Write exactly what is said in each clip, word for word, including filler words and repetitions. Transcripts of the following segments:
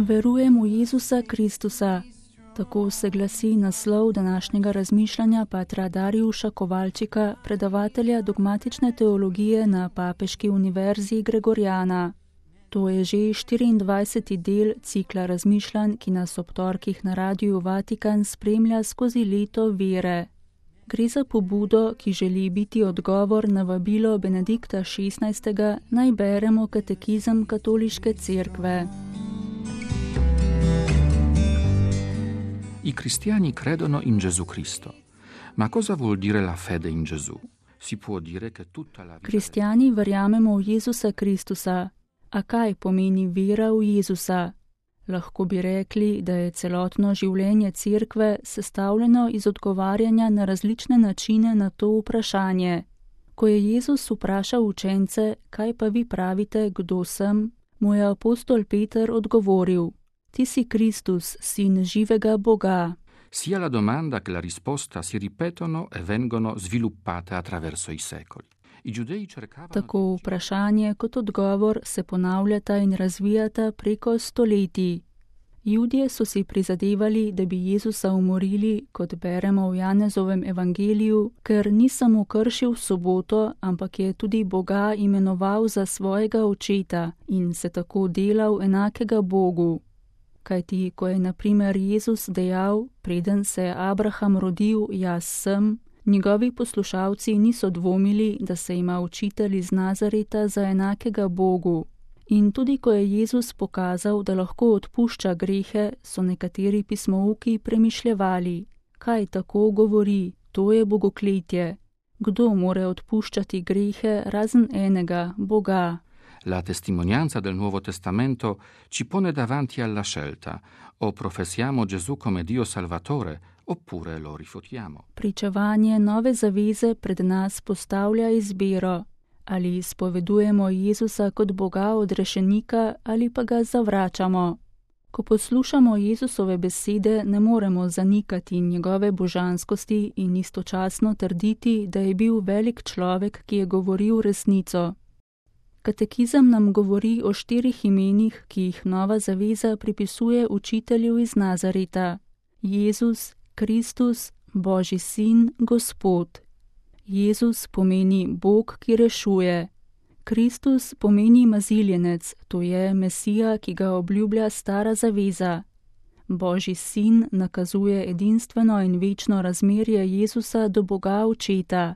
Verujem v Jezusa Kristusa. Tako se glasi naslov današnjega razmišljanja patra Darjuša Kovalčika, predavatelja dogmatične teologije na Papeški univerzi Gregorjana. To je že štiriindvajseti del cikla razmišljanj, ki nas ob torkih na Radiu Vatikan spremlja skozi leto vere. Gre za pobudo, ki želi biti odgovor na vabilo Benedikta šestnajstega, naj beremo katekizem Katoliške cerkve. I cristiani credono in Gesù Cristo. Ma cosa vuol dire la fede in Gesù? Si può dire che tutta la vita... Kristjani verjamemo v Jezusa Kristusa. A kaj pomeni vera v Jezusa? Lahko bi rekli, da je celotno življenje cerkve sestavljeno iz odgovarjanja na različne načine na to vprašanje. Ko je Jezus vprašal učence, kaj pa vi pravite, kdo sem, mu je apostol Peter odgovoril: Ti si Kristus, sin živega Boga. Sia la domanda che la risposta si ripetono e vengono sviluppate attraverso i secoli. I giudei cercavano... Tako vprašanje kot odgovor se ponavljata in razvijata preko stoletij. Judje so si prizadevali, da bi Jezusa umorili, kot beremo v Janezovem evangeliju, ker ni samo kršil soboto, ampak je tudi Boga imenoval za svojega očeta in se tako delal enakega Bogu. Kajti, ko je na primer Jezus dejal, preden se je Abraham rodil, jaz sem, njegovi poslušalci niso dvomili, da se ima učitelj iz Nazareta za enakega Bogu. In tudi, ko je Jezus pokazal, da lahko odpušča grehe, so nekateri pismouki premišljevali, kaj tako govori, to je bogokletje. Kdo more odpuščati grehe razen enega, Boga? La testimonianza del Nuovo Testamento ci pone davanti alla scelta: o professiamo Gesù come Dio Salvatore, oppure lo rifutiamo. Pričevanje nove zaveze pred nas postavlja izbiro: ali izpovedujemo Jezusa kot Boga odrešenika ali pa ga zavračamo. Ko poslušamo Jezusove besede, ne moremo zanikati njegove božanskosti in istočasno trditi, da je bil velik človek, ki je govoril resnico. Katekizem nam govori o štirih imenih, ki jih nova zaveza pripisuje učitelju iz Nazareta: Jezus, Kristus, Božji sin, Gospod. Jezus pomeni Bog, ki rešuje. Kristus pomeni maziljenec, to je Mesija, ki ga obljublja stara zaveza. Božji sin nakazuje edinstveno in večno razmerje Jezusa do Boga Očeta.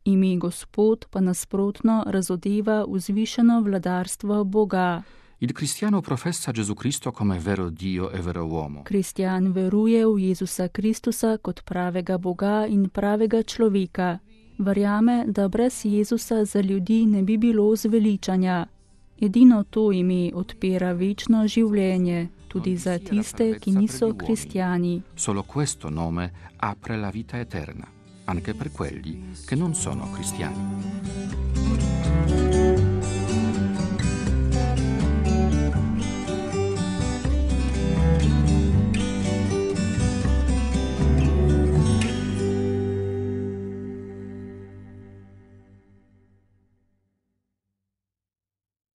Ime Gospod pa nasprotno razodeva vzvišeno vladarstvo Boga. Il cristiano professa Gesù Cristo come vero Dio e vero uomo. Kristjan veruje v Jezusa Kristusa kot pravega Boga in pravega človeka. Verjame, da brez Jezusa za ljudi ne bi bilo zveličanja. Edino to ime odpira večno življenje, tudi za tiste, ki niso kristjani. Solo questo nome apre la vita eterna, anche per quelli che non sono cristiani.